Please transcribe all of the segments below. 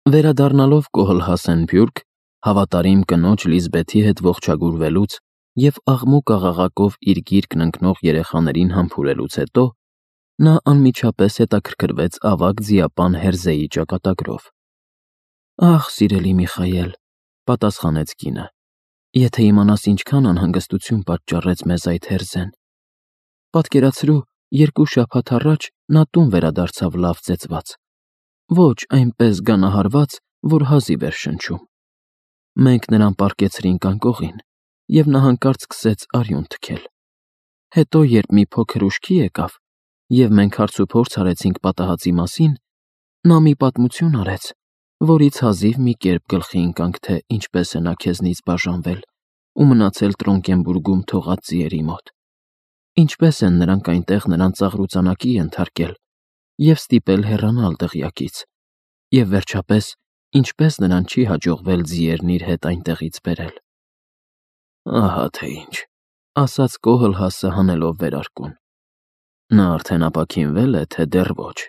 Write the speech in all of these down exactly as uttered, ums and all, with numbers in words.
Վերադառնալով Կոհլհասեն Բյուրք, հավատարիմ կնոջ Լիզբեթի հետ ողջագուրվելուց և աղմուկ աղաղակով իր գիրկն ընկնող երեխաներին համբուրելուց հետո, նա անմիջապես հետաքրքրվեց ավագ ձիապան Հերզեի ճակատագրով։ «Ախ, սիրելի Միխայել,» պատասխանեց կինը, «եթե իմանաս ինչքան անհանգստություն պատճառեց մեզ այդ Հերզեն։ Պատկերացրու, երկու շաբաթ առաջ նա տուն վերադարձավ լավ ծեծված, ոչ այնպես գանահարված, որ հազիվ էր շնչում։ Մենք նրան պառկեցրինք անկողին, և նա հանկարծ սկսեց արյուն թքել։ Հետո, երբ մի փոքր ուշքի եկավ, և մենք հարցուփորձ արեցինք պատահածի մասին, նա մի պատմություն արեց, որից հազիվ մի կերպ գլխի ընկանք, թե ինչպես է նա քեզնից բաժանվել ու մնացել Տրոնկենբուրգում թողած ձիերի մոտ, ինչպես են նրանք այնտեղ նրան ծաղրուծանակի ենթարկել և ստիպել հեռանալ դղյակից, և վերջապես, ինչպես նրան չի հաջողվել ձիերն իր հետ այնտեղից բերել»։ «Ահա թե ինչ», ասաց Կոհլհասը հանելով վերարկուն։ «Նա արդեն ապաքինվե՞լ է, թե դեռ ոչ»։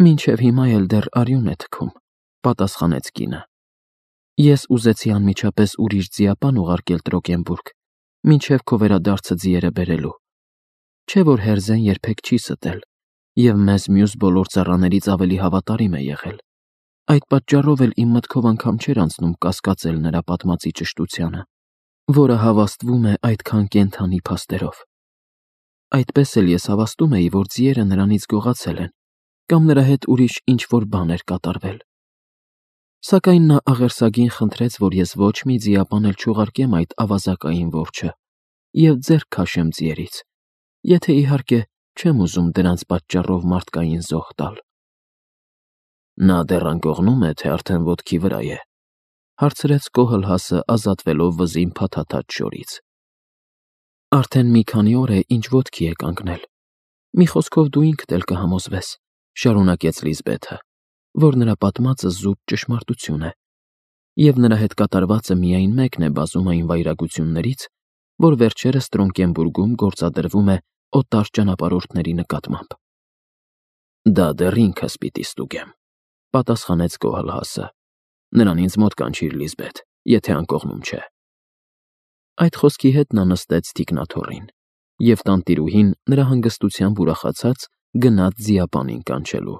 «Մինչև հիմա էլ դեռ արյուն է թքում», պատասխանեց կինը։ «Ես ուզեցի անմիջապես ուրիշ ձիապան ուղարկել Տրոկենբուրգ, մինչև քո վերադարձը ձիերը բերելու։ Չէ՞ որ Հերզեն երբեք չի ստել և մեզ մյուս բոլոր ծառաներից ավելի հավատարիմ է եղել։ Այդ պատճառով էլ իմ մտքով անգամ չէր անցնում կասկածել նրա պատմածի ճշտությանը, որը հավաստվում է այդքան կենդանի փաստերով։ Այդպես էլ ես հավաստում էի, որ ձիերը նրանից գողացել են կամ նրա հետ ուրիշ ինչ-որ բան էր կատարվել։ Սակայն նա աղերսագին խնդրեց, որ ես ոչ մի ձիապան էլ չուղարկեմ այդ ավազակային որջը և ձեռք քաշեմ ձիերից, եթե, իհարկե, չեմ ուզում դրանց պատճառով մարդկային զոհ տալ»։ «Նա դեռ անկողնու՞մ է, թե արդեն ոտքի վրա է», հարցրեց Կոհլհասը, ազատվելով վզին փաթաթած շորից։ «Արդեն մի քանի օր է, ինչ ոտքի է կանգնել։ Մի խոսքով դու ինքդ էլ կհամոզվես», շարունակեց Լիզբեթը, «որ նրա պատմածը զուտ ճշմարտություն է, և նրա հետ կատարվածը միայն մեկն է բազում այն վայրագություններից, որ վերջերս Տրոնկենբուրգում գործադրվում է օտար ճանապարհորդների նկատմամբ»։ «Դա դեռ ինքս պիտի ստուգեմ», պատասխանեց Կոհլհասը։ «Նրան ինձ մոտ կանչիր, Լիզբեթ, եթե անկողնում չէ»։ Այդ խոսքի հետ նա նստեց թիկնաթոռին, և տանտիրուհին, նրա հանգստությամբ ուրախացած, գնաց ձիապանին կանչելու։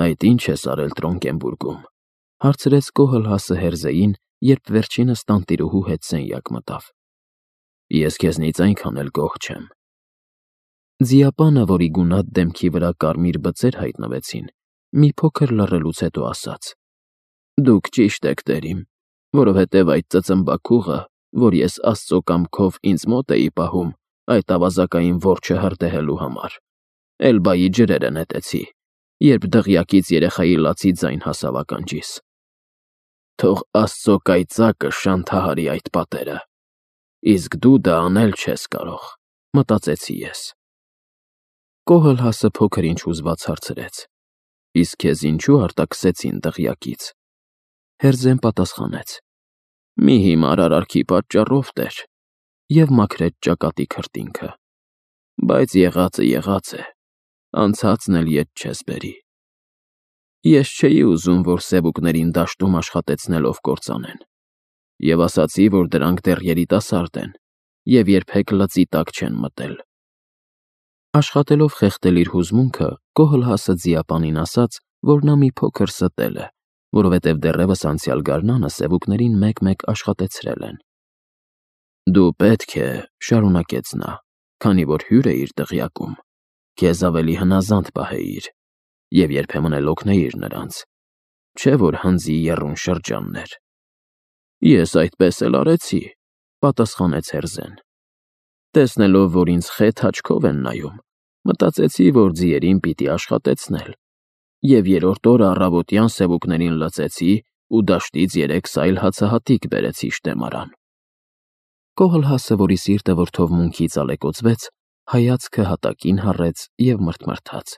«Այդ ի՞նչ ես արել Տրոնկենբուրգում», հարցրեց Կոհլհասը Հերզեին, երբ վերջինս տանտիրուհու հետ սենյակ մտավ։ «Ես քեզնից այնքան էլ գոհ չեմ»։ Ձիապանը, որի գունատ դեմքի վրա կարմիր բծեր հայտնվեցին, մի փոքր լռելուց հետո ասաց. «Դուք ճիշտ եք, տերիմ, որովհետև այդ ծծմբաքուղը, որ ես Աստծո կամքով ինձ մոտ էի պահում այդ ավազակային որջը հրդեհելու համար, Էլբայի ջրերը նետեցի, երբ դղյակից երեխայի լացի ձայն հասավ ականջիս։ Թող Աստծո կայծակը շանթահարի այդ պատերը, իսկ դու դա անել չես կարող, մտածեցի ես»։ Կոհլհասը փոքր-ինչ հուզված հարցրեց. «Իսկ քեզ ինչու արտաքսեցին դղյակից»։ Հերզեն պատասխանեց. «Մի հիմար արարքի պատճառով, տեր», և մաքրեց ճակատի քրտինքը։ «Բայց եղածը եղած է, անցածն էլ ետ չես բերի։ Ես չէի ուզում, որ սևուկներին դաշտում աշխատեցնելով կործանեն, և ասացի, որ դրանք դեռ երիտասարդ են և երբեք լծի տակ չեն մտել»։ Աշխատելով խեղդել իր հուզմունքը, Կոհլհասը ձիապանին ասաց, որ նա մի փոքր ստել է, որովհետև դեռևս անցյալ գարնանը սևուկներին մեկ-մեկ աշխատեցրել են։ «Դու պետք է», շարունակեց նա, «քանի որ հյուր էիր դղյակում, քեզ ավելի հնազանդ պահեիր և երբեմն էլ օգնեիր նրանց, չէ՞ որ հնձի եռուն շրջանն էր»։ «Ես այդպես էլ արեցի», պատասխանեց Հերզեն։ «Տեսնելով, որ ինձ խետ աչքով են նայում, մտածեցի, որ ձիերին պիտի աշխատեցնել, և երրորդ օրը առավոտյան սևուկներին լցեցի ու դաշտից երեք սայլ հացահատիկ բերեցի շտեմարան»։ Կոհլհասը, որի սիրտը որդովմունքից ալեկոծվեց, հայացքը հատակին հառեց և մռթմռթաց.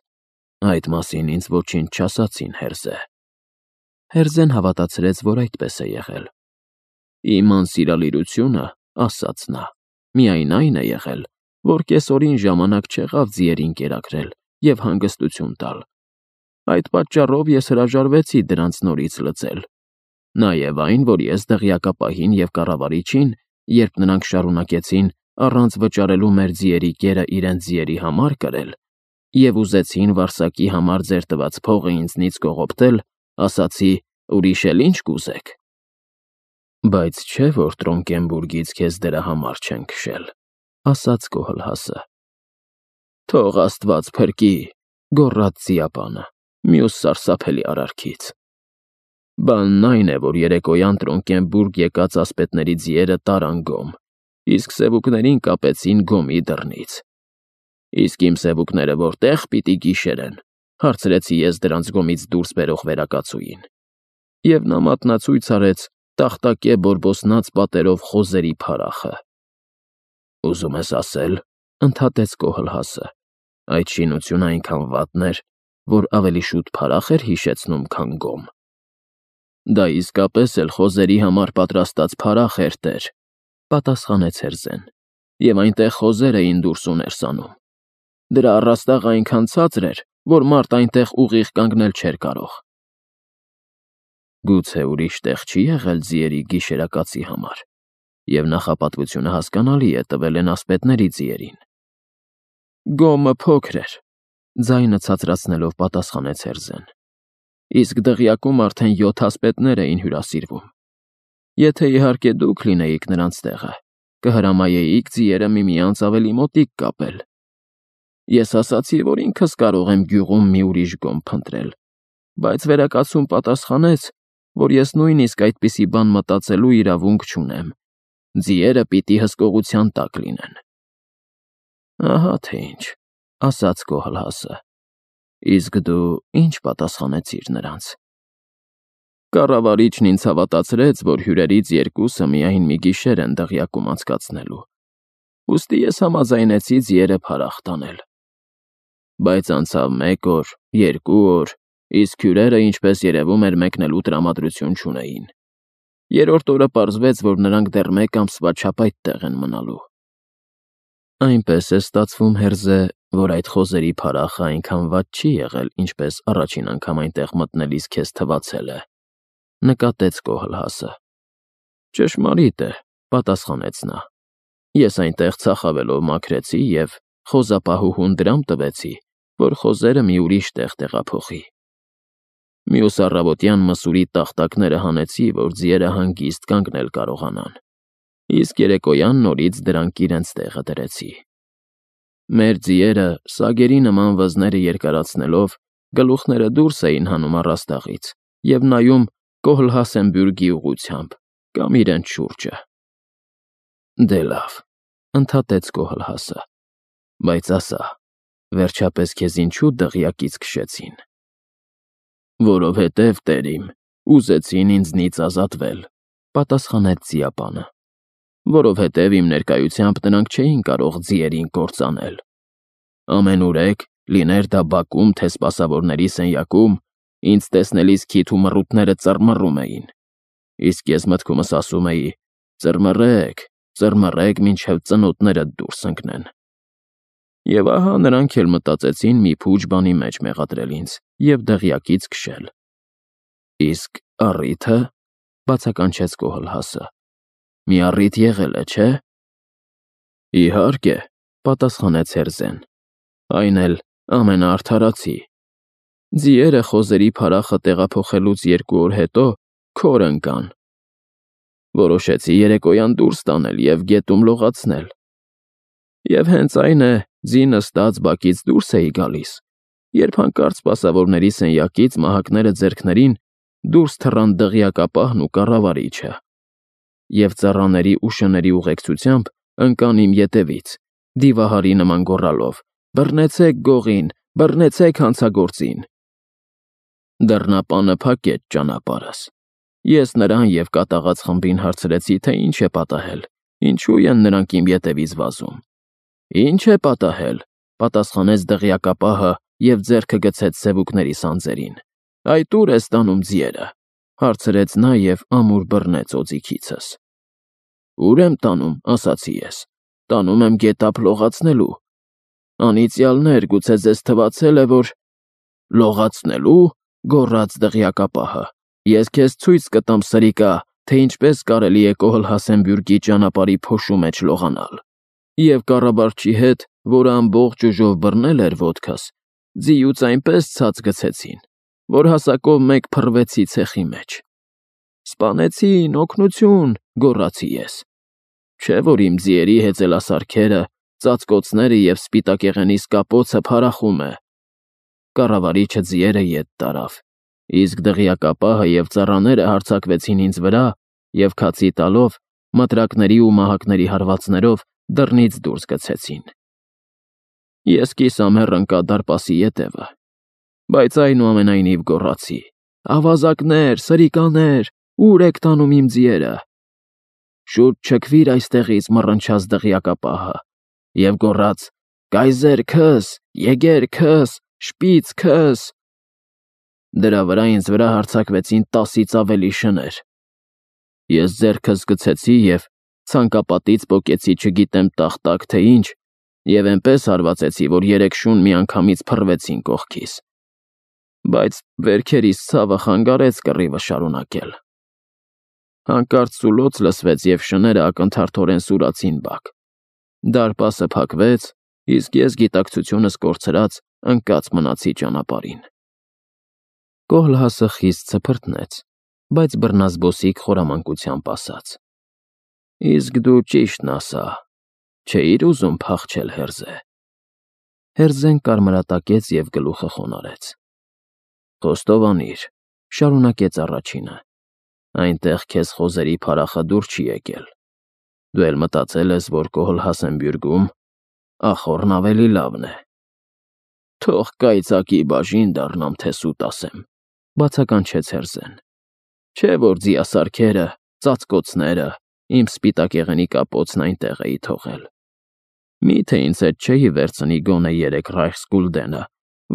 «Այդ մասին ինձ ոչինչ չասացին, Հերզե»։ Հերզեն հավատացրեց, որ այդպես է եղել։ «Իմ անսիրալիրությունը, ասաց նա, միայն այն է եղել, որ կեսօրին ժամանակ չեղավ ձիերին կերակրել և հանգստություն տալ։ Այդ պատճառով ես հրաժարվեցի դրանց նորից լծել։ Նաև այն, որ ես դղյակապահին և կառավարիչին, երբ նրանք շարունակեցին առանց վճարելու մեր ձիերի կերը իրենց ձիերի համար կրել և ուզեցին Վարսակի համար ձեր տված փողը ինձնից կողոպտել, ասացի. «Ուրիշ էլ ինչ կուզեք»։ Բայց չէ՞ որ Տրոնկենբուրգից քեզ դրա համար չեն քշել, ասաց Կոհլհասը։ Թող Աստված փրկի, գոռաց ձիապանը, մյուս սարսափելի արարքից։ Բանն այն է, որ երեկոյան Տրոնկենբուրգ եկած ասպետների ձիերը տարան Գոմ, իսկ սևուկներին կապեցին Գոմի դռնից։ Իսկ իմ սևուկները որտե՞ղ պիտի գիշերեն, հարցրեցի ես դրանց Գոմից դուրս բերող վերակացուին։ Եվ նա մատնացույց արեց տախտակե բորբոսնած պատերով խոզերի փարախը։ Ուզում ես ասել, ընդհատեց Կոհլհասը, այդ շինությունը այնքան վատն էր, որ ավելի շուտ փարախ էր հիշեցնում, քան Գոմ։ Դա իսկապես էլ խոզերի համար պատրաստած փարախ էր, տեր, պատասխանեց Հերզեն, և այնտեղ խոզեր էին դուրս ու ներս անում։ Դրա առաստաղը այնքան ցածր էր, որ մարդ այնտեղ ուղիղ կանգնել չէր կարող։ Գուցե ուրիշ տեղ չի եղել ձիերի գիշերակացի համար, և նախապատվությունը հասկանալի է տվել են ասպետների ձիերին։ Գոմը փոքր էր, ձայնը ցածրացնելով պատասխանեց Հերզեն, իսկ դղյակում արդեն յոթ ասպետներ էին հյուրասիրվում։ Եթե իհարկե դուք լինեիք նրանց տեղը, կհրամայեիք ձիերը միմյանց ավելի մոտիկ կապել։ Ես ասացի, որ ինքս կարող եմ գյուղում մի ուրիշ գոմ փնտրել, բայց վերակացուն պատասխանեց, որ ես նույնիսկ այդպիսի բան մտածելու իրավունք չունեմ, ձիերը պիտի հսկողության տակ լինեն։ Ահա թե ինչ, ասաց Կոհլհասը, իսկ դու ինչ պատասխանեցիր նրանց։ Կառավարիչն ինձ հավատացրեց, որ հյուրերից երկուսը միայն մի գիշեր են դղյակում անցկացնելու, ուստի ես համաձայնեցի ձիերը փարախ տանել։ Բայց անցավ մեկ օր, երկու օր, իսկ հյուրերը, ինչպես երևում էր, մեկնելու տրամադրություն չունեին։ Երրորդ օրը պարզվեց, որ նրանք դեռ մեկ ամսվա չափ այդտեղ են մնալու։ Այնպես է ստացվում, Հերզե, որ այդ խոզերի փարախը այնքան վատ չի եղել, ինչպես առաջին անգամ այնտեղ մտնելիս քեզ թվացել է, նկատեց Կոհլհասը։ Ճշմարիտ է, պատասխանեց նա։ Ես այնտեղ ծախավելով մաքրեցի և խոզապահուհուն դրամ տվեցի, որ խոզերը մի ուրիշ տեղ տեղափոխի։ Մյուս առավոտյան մսուրի տախտակները հանեցի, որ ձիերը հանգիստ կանգնել կարողանան, իսկ երեկոյան նորից դրանք իրենց տեղը դրեցի։ Մեր ձիերը, սագերի նման վզները երկարացնելով, գլուխները դուրս էին հանում առաստաղից և նայում Կոհլհասենբյուրգի ուղղությամբ կամ իրենց շուրջը։ Դե լավ, ընդհատեց Կոհլհասը, բայց ասա, վերջապես քեզ ինչու դղյակից քշեցին։ Որովհետև, տեր իմ, ուզեցին ինձնից ազատվել, պատասխանեց ձիապանը։ Որովհետև իմ ներկայությամբ նրանք չէին կարող ձիերին կործանել։ Ամենուրեք, լիներ դա բակում, թե սպասավորների սենյակում, ինձ տեսնելիս քիթ ու մռութները ծռմռում էին, իսկ ես մտքումս ասում էի. ծռմռեք, ծռմռեք, մինչև ծնոտներդ դուրս ընկնեն։ Եվ ահա նրանք էլ մտածեցին մի փուչ բանի մեջ մեղադրել ինձ և դղյակից քշել։ Իսկ առիթը, բացականչեց Կոհլհասը, մի առիթ եղել է, չէ՞։ Իհարկե, պատասխանեց Հերզեն, այն էլ ամենաարդարացի։ Ձիերը խոզերի փարախը տեղափոխելուց երկու օր հետո քոր ընկան։ Որոշեցի երեկոյան դուրս տանել և գետում լողացնել։ Եվ հենց այն է, ձի նստած բակից դուրս էի գալիս, երբ հանկարծ սպասավորների սենյակից մահակները ձեռքներին դուրս թռան դղյակապահն ու կառավարիչը, և ծառաների ու շների ուղեկցությամբ ընկան իմ ետևից, դիվահարի նման գոռալով. «Բռնեցեք գողին, բռնեցեք հանցագործին»։ Դռնապանը փակեց ճանապարհս։ Ես նրան և կատաղած խմբին հարցրեցի, թե ինչ է պատահել, ինչու են նրանք իմ ետևից վազում։ Ինչ է պատահել, պատասխանեց դղյակապահը և ձեռքը գցեց սևուկների սանձերին։ Այդ ո՞ւր ես տանում ձիերը, հարցրեց նա և ամուր բռնեց օձիքիցս։ Ո՞ւր եմ տանում, ասացի ես, տանում եմ գետափ լողացնելու։ Անիծյալներ, գուցե ձեզ թվացել է, որ… Լողացնելու, գոռաց դղյակապահը, ես քեզ ցույց կտամ, սրիկա, թե ինչպես կարելի է Կոհլ-Հասենբյուրգի ճանապարհի փոշու մեջ լողանալ։ Եվ կառավարչի հետ, որը ամբողջ ուժով բռնել էր ոտքս, ձիուց այնպես ցած գցեցին, որ հասակով մեկ փռվեցի ցեխի մեջ։ Սպանեցին, օգնություն, գոռացի ես։ Չէ՞ որ իմ ձիերի հեծելասարքերը, ծածկոցները և սպիտակեղենիս կապոցը փարախում է։ Կառավարիչը ձիերը ետ տարավ, իսկ դղյակապահը և ծառաները հարձակվեցին ինձ վրա և քացի տալով, մտրակների ու մահակների հարվածներով դռնից դուրս գցեցին։ Ես կիսամեռ ընկա դարպասի ետևը, բայց այնուամենայնիվ գոռացի. «Ավազակներ, սրիկաներ, ո՞ւր եք տանում իմ ձիերը»։ «Շուտ չքվիր այստեղից», մռնչաց դղյակապահը և գոռաց. «Կայզեր քս, եգեր քս, շպիծ քս»։ Դրա վրա ինձ վրա հարձակվեցին տասից ավելի շներ։ Ես ձեռքս գցեցի և ցանկապատից պոկեցի չգիտեմ տախտակ թե ինչ և էնպես հարվածեցի, որ երեք շուն միանգամից փռվեցին կողքիս։ Բայց վերքերիս ցավը խանգարեց կռիվը շարունակել։ Հանկարծ սուլոց լսվեց, և շները ակնթարթորեն սուրացին բակ։ Դարպասը փակվեց, իսկ ես գիտակցությունս կորցրած ընկած մնացի ճանապարհին։ Կոհլհասը խիստ ցփրտնեց, բայց բռնազբոսիկ խորամանկությամբ ասաց. «Իսկ դու ճիշտն ասա, չէիր ուզում փախչել, Հերզե»։ Հերզեն կարմրատակեց և գլուխը խոնարհեց։ «Խոստովանիր», շարունակեց առաջինը, «այնտեղ քեզ խոզերի փարախը դուր չի եկել։ Դու էլ մտածել ես, որ Կոհլ-Հասենբյուրգում ախոռն ավելի լավն է»։ «Թող կայծակի բաժին դառնամ, թե սուտ ասեմ», բացականչեց Հերզեն։ «Չէ՞ որ ձիասարքերը, ծածկոցները, իմ սպիտակեղենի կապոցն այնտեղ էի թողել։ Մի՞թե ինձ հետ չէի վերցնի գոնե երեք ռայխսգուլդենը,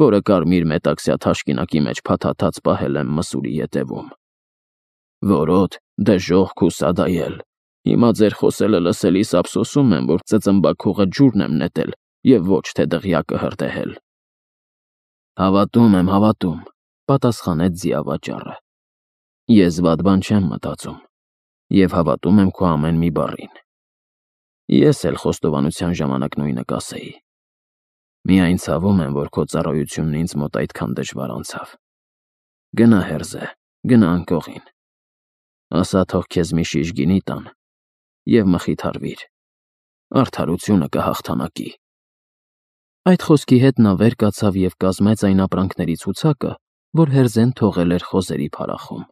որը կարմիր մետաքսյա թաշկինակի մեջ փաթաթած պահել եմ մսուրի ետևում։ Որոտ, դժոխք ու սադայել, հիմա ձեր խոսելը լսելիս ափսոսում եմ, որ ծծմբաքուղը ջուրն եմ նետել և ոչ թե դղյակը հրդեհել»։ «Հավատում եմ, հավատում», պատասխանեց ձիավաճառը։ «Ես վատ բան չեմ մտածում և հավատում եմ քո ամեն մի բառին։ Ես էլ խոստովանության ժամանակ նույնը կասեի։ Միայն ցավում եմ, որ քո ծառայությունն ինձ մոտ այդքան դժվար անցավ։ Գնա, Հերզե, գնա անկողին։ Ասա թող քեզ մի շիշ գինի տան և մխիթարվիր։ Արդարությունը կհաղթանակի»։ Այդ խոսքի հետ նա վեր կացավ և կազմեց այն ապրանքների ցուցակը, որ Հերզեն թողել էր խոզերի փարախում։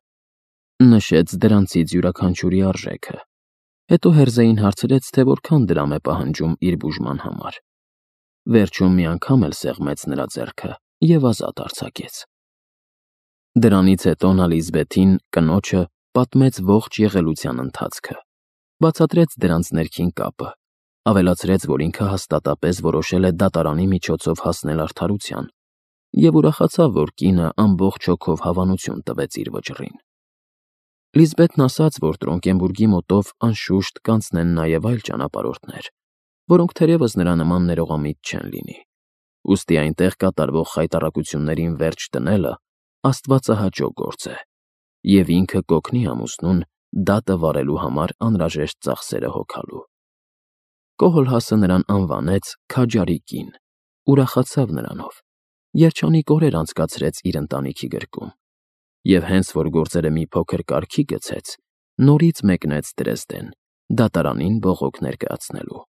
Նշեց դրանցից յուրաքանչյուրի արժեքը։ Հետո Հերզեին հարցրեց, թե որքան դրամ է պահանջում իր բուժման համար։ Վերջում մի անգամ էլ սեղմեց նրա ձեռքը և ազատ արձակեց։ Դրանից հետո նա Լիզբեթին, կնոջը, պատմեց ողջ եղելության ընթացքը, բացատրեց դրանց ներքին կապը, ավելացրեց, որ ինքը հաստատապես որոշել է դատարանի միջոցով հասնել արդարության, և ուրախացավ, որ կինը ամբողջ հոգով հավանություն տվեց իր վճռին։ Լիզբեթն ասաց, որ Տրոնկենբուրգի մոտով անշուշտ կանցնեն նաև այլ ճանապարհորդներ, որոնք թերևս նրա նման ներողամիտ չեն լինի, ուստի այնտեղ կատարվող խայտառակություններին վերջ դնելը աստվածահաճո գործ է, և ինքը կօգնի ամուսնուն դատը վարելու համար անհրաժեշտ ծախսերը հոգալու։ Կոհլհասը նրան անվանեց Քաջարի կին, ուրախացավ նրանով, երջանիկ օրեր անցկացրեց իր ընտանիքի գրկում, և հենց որ գործերը մի փոքր կարգի գցեց, նորից մեկնեց Դրեզդեն՝ դատարանին բողոք ներկայացնելու։